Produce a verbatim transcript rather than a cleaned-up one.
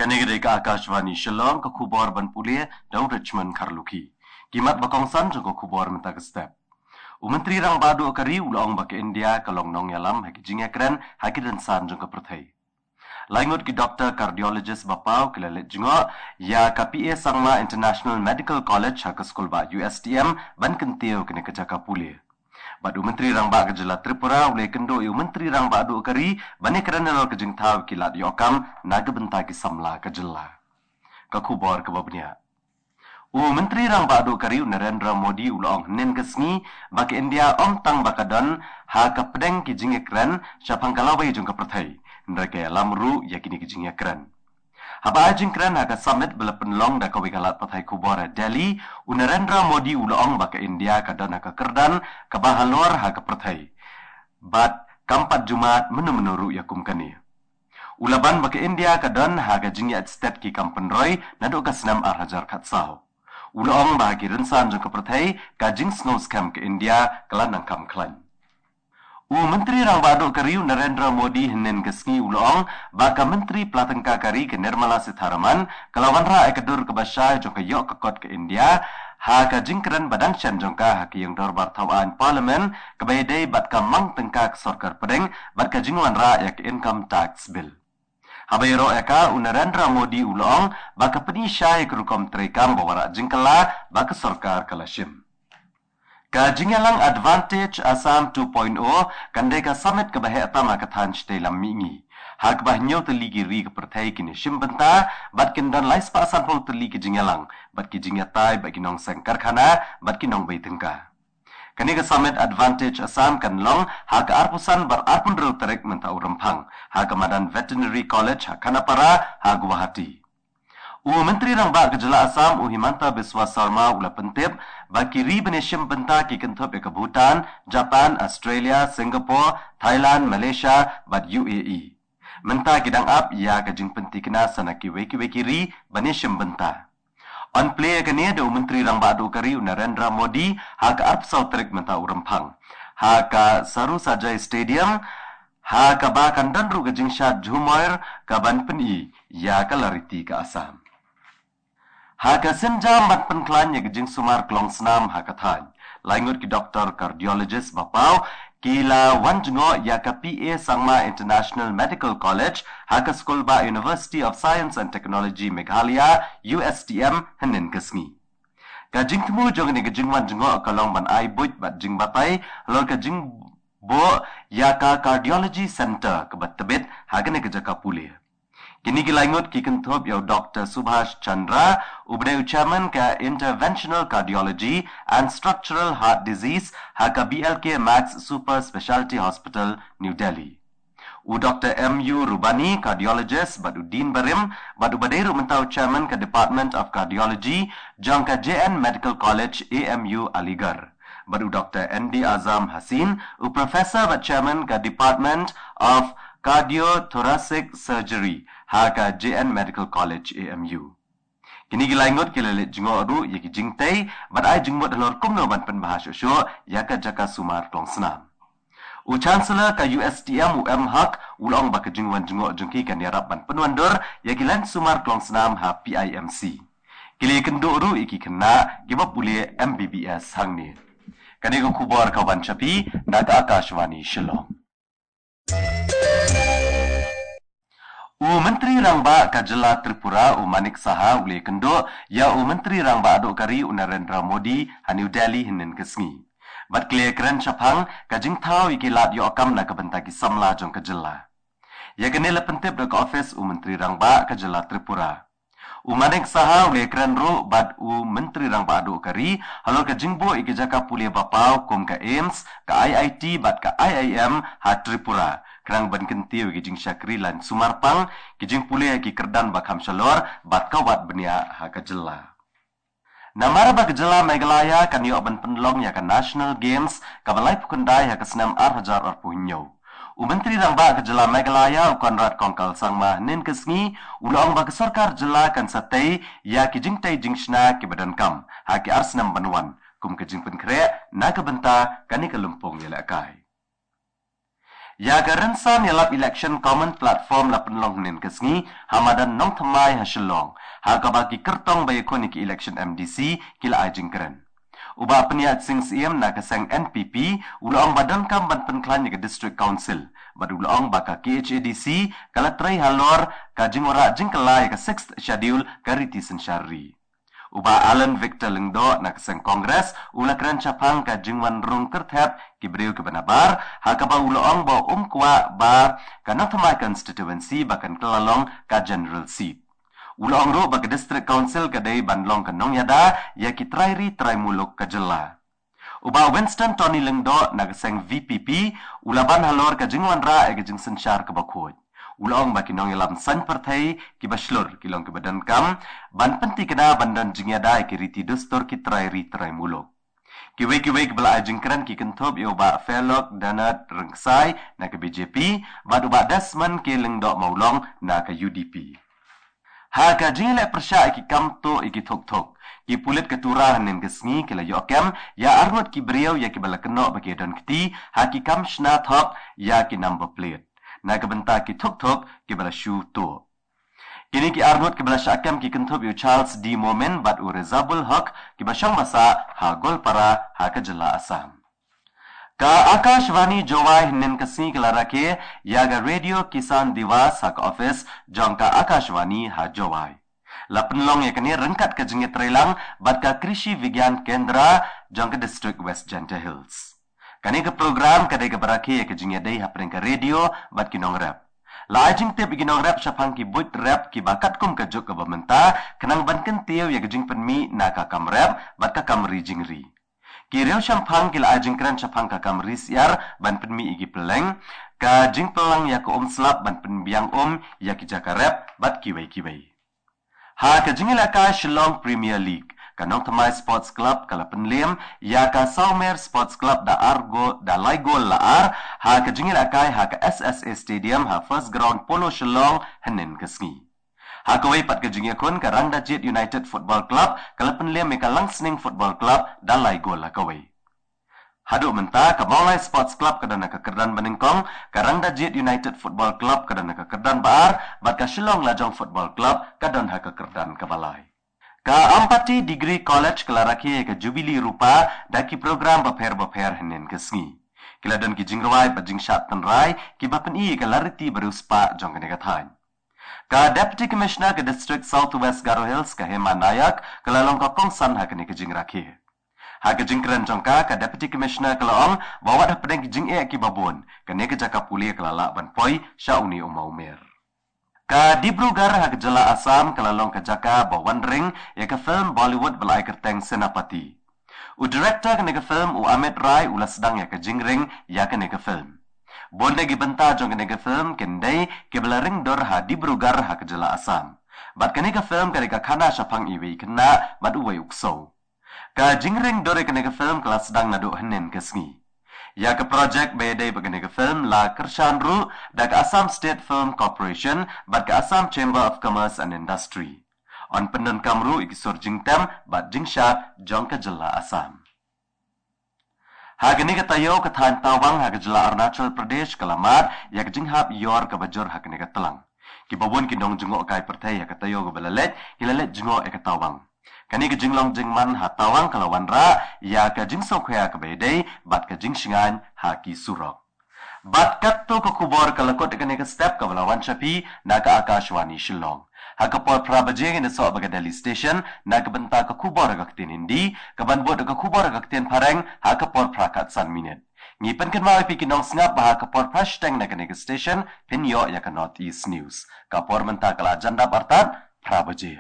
Kane ka dei ka Akashvani Shillong, ka khubor ban pule da u Richmond Kharlukhi. Ki mat ba kongsan jong ka khubor mynta ka step. U Myntri Rangbah Duh ka ri u la ong ba ka India ka long nongïalam ha ki jingïakren ha ki rynsan jong ka pyrthei. Lai ngut ki doktor cardiologist ba paw ki la leit jngoh ïa ka P A Sangma International Medical College ha ka skulbah U S T M ban kyntiew kane ka jaka pule. Bad u Myntri Rangbah ka jylla Tripura u la ïakynduh ïa u Myntri Rangbah Duh ka ri ban ïakren halor ka jingthaw ki lad ïoh kam na ka bynta ki samla ka jylla. Ka khubor kaba bniah. U Myntri Rangbah Duh ka ri u Narendra Modi u la ong hynnin ka sngi ba ka India ym tang ba ka don ha ka pdeng ki jingïakren shaphang ka lawei jong ka pyrthei, hynrei ka ïalam ruh ïa kine ki jingïakren. Haba ai jingkren ha ka summit ba la pynlong da kawei ka lad pathai khubor ha Delhi, u Narendra Modi u la ong ba ka India ka don ha ka kyrdan kaba halor ha ka pyrthei, bad kam pat ju mad mynno mynno ruh ïa kum kane. U la ban ba ka India ka don ha ka jingïaid stet ki kam pynroi naduh ka snem ar hajar khatsaw. U la ong ba ha ki rynsan jong ka pyrthei ka jingsngewskhem ka India ka la nang kham khlaiñ. U Myntri Rangbah Duh ka ri u Narendra Modi hynnin ka sngi u la ong ba ka Myntri Pla Tyngka ka ri ka Nirmala Sitharaman ka la wanrah ïa ka dur kaba shai jong ka ïoh ka kot ka India ha ka jingkren ba dang shen jong ka ha ka ïing dorbar thaw aiñ Parliament kaba ïadei bad ka mang tyngka ka sorkar pdeng bad ka jingwanrah ïa ka Income Tax Bill. Haba ïaroh ïa ka, u Narendra Modi u la ong ba ka pyni shai ïa ka rukom treikam ba wanrah jingkylla ba ka sorkar ka la shim. Ka jingïalang Advantage Assam two point oh kan dei ka summit kaba heh tam ha ka thaiñ shatei lam mihngi, ha kaba hynñiew tylli ki ri ka pyrthei kin ïashim bynta bad kin don lai spah sanphew tylli ki jingïalang bad ki jingïatai bad ki nongseng karkhana bad ki nongbei tyngka. Kane ka summit Advantage Assam kan long ha ka arphew san bad arphew hynriew tarik mynta u Rymphang ha ka madan Veterinary College ha Khanapara ha Guwahati. U Myntri Rangbah ka jylla Assam u Himanta Biswa Sarma u la pyntip ba ki ri ban ïashim bynta ki kynthup ïa ka Bhutan, Japan, Australia, Singapore, Thailand, Malaysia bad U A E. Mynta ki dang ap ïa ka jingpynthikna sa na kiwei kiwei ki ri ban ïashim bynta. Yn plie ïa kane da u Myntri Rangbah Duh ka ri u Narendra Modi ha ka arphew saw tarik mynta u Rymphang ha ka Sarusajai Stadium, ha kaba kan don ruh ka jingshad jhumoir kaban pyni ïa ka lariti ka Assam. Ha ka sienjam ban pynkhlaiñ ïa ka jingsumar klongsnam ha ka thaiñ, lai ngut ki doktor cardiologist ba paw ki la wan jngoh ïa ka P A Sangma International Medical College ha ka skulbah University of Science and Technology Meghalaya, U S T M, hynnin ka sngi. Ka jingthmu jong kane ka jingwan jngoh ka long ban ai buit bad jingbatai halor ka jingbuh ïa ka Cardiology Center kaba tbit ha kane ka jaka pule. Kine ki lai ngut ki kynthup ïa u Doctor Subhash Chandra, uba dei u chairman ka Interventional Cardiology and Structural Heart Disease ha ka B L K Max Super Specialty Hospital, New Delhi. U Doctor M U Rubani, cardiologist bad u dean barim, bad uba dei ruh mynta u chairman ka Department of Cardiology jong ka J N Medical College, A M U Aligarh. Bad u Doctor N D Azam Haseen, u professor bad chairman ka Department of Cardiothoracic Surgery ha ka J N Medical College, A M U. Kine ki lai ngut ki la leit jngoh ruh ïa ki jingtei bad ai jingmut halor kumno ban pynbha shuh shuh ïa ka jaka sumar klongsnam. U Chancellor ka U S T M u M Haq u la ong ba ka jingwan jngoh jong ki kan ïarap ban pynwandur ïa ki laiñ sumar klongsnam ha P I M C. Ki la ïakynduh ruh ïa ki khynnah kiba pule M B B S hangne. Kane ka khubor ka wan sha phi na ka Akashvani Shillong. U Myntri Rangbah ka jylla Tripura u Manik Saha u la ïakynduh ïa u Myntri Rangbah Duh ka ri u Narendra Modi ha New Delhi hynnin ka sngi. Bad ki la ïakren shaphang ka jingthaw ïa ki lad ïoh kam na ka bynta ki samla jong ka jylla. Ïa kane la pyntip da ka ophis u Myntri Rangbah ka jylla Tripura. U Manik Saha u la ïakren ruh bad u Myntri Rangbah Duh ka ri halor ka jingbuh ïa ki jaka pule ba paw kum ka AIIMS, ka IIT bad ka IIM ha Tripura, khnang ban kyntiew ïa ki jingshakri laiñ sumar pang, ki jingpule ha ki kyrdan ba kham shalor bad ka wad bniah ha ka jylla. Namar ba ka jylla Meghalaya kan ïoh ban pynlong ïa ka National Games kaba laiphew khyndai ha ka snem ar hajar arphew hynñiew, u Myntri Rangbah ka jylla Meghalaya u Conrad Kongkal Sangma hynnin ka sngi u la ong ba ka sorkar jylla kan sa tei ïa ki jingtei jingshna kiba donkam ha ki ar snem ban wan kum ka jingpynkhreh na ka bynta kane ka lympung ïalehkai. Ïa ka rynsan ïalap election common platform la pynlong hynnin ka sngi ha madan Nongthymmai ha Shillong, ha kaba ki kyrtong ba ïakhun ïa ki election M D C ki la ai jingkren. U Bah Pynïaid Sing Syiem na ka seng N P P u la ong ba donkam ban pynkhlaiñ ïa ka District Council, bad u la ong ba ka K H A D C ka la trei halor ka jingwanrah jingkylla ïa ka Sixth Schedule ka riti synshar ri. U Bah Alan Victor Lyngdoh na ka seng Congress u la kren shaphang ka jingwan rung kyrthep ki briew kiba nabar, ha kaba u la ong ba um kwah ba ka Nongthymmai constituency ba kan kylla long ka general seat. U la ong ruh ba ka District Council ka dei ban long ka nongïada ïa ki trai ri trai muluk ka jylla. U Bah Winston Tony Lyngdoh na ka seng V P P u la ban halor ka jingwanrah ïa ka jingsynshar kaba khuid. U la ong ba ki nongïalam saiñ pyrthei kiba shlur ki long kiba donkam ban pynthikna ban don jingïada ïa ki riti dustur ki trai ri trai muluk. Kiwei kiwei kiba la ai jingkren ki kynthup ïa u Bah Fairlock Donald Rynksai na ka B J P bad u Bah Desmond K Lyngdoh Mawlong na ka U D P. Ha ka jingïaleh pyrshah ïa ki kam tuh ïa ki thuk thuk, ki pulit ka Tura hynnin ka sngi ki la ïoh kem ïa arngut ki briew ïa kiba la kynnoh ba ki don kti ha ki kam shna thok ïa ki number plate na ka bynta ki thuk thuk kiba la shu tuh. Kine ki arngut kiba la shah kem ki kynthup ïa u Charles D Momin bad u Rezabul Haq kiba shong basa ha Goalpara ha ka jylla Assam. Ka Akashvani Jowai hynnin ka sngi ka la rakhe ïa ka Radio Kisan Diwas ha ka office jong ka Akashvani ha Jowai. La pynlong ïa kane ryngkat ka jingïatreilang bad ka Krishi Vigyan Kendra jong ka District West Jaintia Hills. Kane ka program ka dei kaba rakhe ïa ka jingïadei hapdeng ka radio bad ki nongrep. La ai jingtip ïa ki nongrep shaphang ki buit rep kiba katkum ka juk kaba mynta, khnang ban kyntiew ïa ka jingpynmih na ka kam rep bad ka kam ri jingri. Ki riewshemphang ki la ai jingkren shaphang ka kam ri syiar ban pynmih ïa ki pylleng, ka jingpynlang ïa ka um slap ban pynbiang um ïa ki jaka rep bad kiwei kiwei. Ha ka jingïalehkai Shillong Premier League, ka Nongthymmai Sports Club ka la pynlem ïa ka Sawmer Sports Club da ar gol, da lai gol la ar, ha ka jingïalehkai ha ka S S A Stadium ha First Ground Polo Shillong hynnin ka sngi. Ha kawei pat ka jingïakhun, ka Rangdajied United Football Club ka la pynlem ïa ka Langsning Football Club da lai gol ha kawei. Haduh mynta ka Mawlai Sports Club ka don ha ka kyrdan banyngkong, ka Rangdajied United Football Club ka don ha ka kyrdan ba ar, bad ka Shillong Lajong Football Club ka don ha ka kyrdan kaba lai. Ka Ampati Degree College ka la rakhe ïa ka Jubilee Rupa da ki program bapher bapher hynnin ka sngi. Ki la don ki jingrwai bad jingshad tynrai kiba pyni ïa ka lariti ba riewspah jong kane ka thaiñ. Ka Deputy Commissioner ka District South West Garo Hills ka Hema Nayak ka la long ka kongsan ha kane ka jingrakhe. Ha ka jingkren jong ka, ka Deputy Commissioner ka la ong ba wat hapdeng ki jingeh kiba bun, kane ka jaka pule ka la lah ban poi sha une u mawmer. Ka Dibrugarh ha ka jylla Assam ka la long ka jaka ba wan ring ïa ka film Bollywood ba la ai kyrteng Senapati. U director kane ka film, u Amit Rai, u la sdang ïa ka jingring ïa kane ka film. Bun na ki bynta jong kane ka film kin dei kiba la ring dur ha Dibrugarh ha ka jylla Assam. Bad kane ka film ka dei ka khana shaphang iwei i khynnah bad uwei u ksew. Ka jingring dur ïa kane ka film ka la sdang naduh hynnin ka sngi. Ïa ka project ba ïadei bad kane ka film la kyrshan ruh da ka Assam State Film Corporation bad ka Assam Chamber of Commerce and Industry. Yn pyndonkam ruh ïa ki sur jingtem bad jingshad jong ka jylla Assam. Ha kane ka taïew, ka thaiñ Tawang ha ka jylla Arunachal Pradesh ka la mad ïa ka jinghap ïor kaba jur ha kane ka tlang. Kiba bun ki nongjngohkai pyrthei ha ka taïew kaba la leit ki la leit jngoh ïa ka tawang. Kane ka jinglong jingman ha tawang ka la wanrah ïa ka jingsngewkhia kaba ïadei bad ka jingshngaiñ ha ki surok. Bad katto ka khubor ka la kut ïa kane ka step kaba la wan sha phi na ka Akashvani Shillong. Ha ka por phra baje ngin ïasoh bad ka Delhi Station na ka bynta ka khubor ha ka ktien Hindi, kaban bud ka khubor ha ka ktien Phareng ha ka por phra khatsan minit. Ngi pynkynmaw ïa phi ki nongsngap ba ha ka por phra shiteng na kane ka station phin ïoh ïa ka North East News. Ka por mynta ka la jan dap artat phra baje.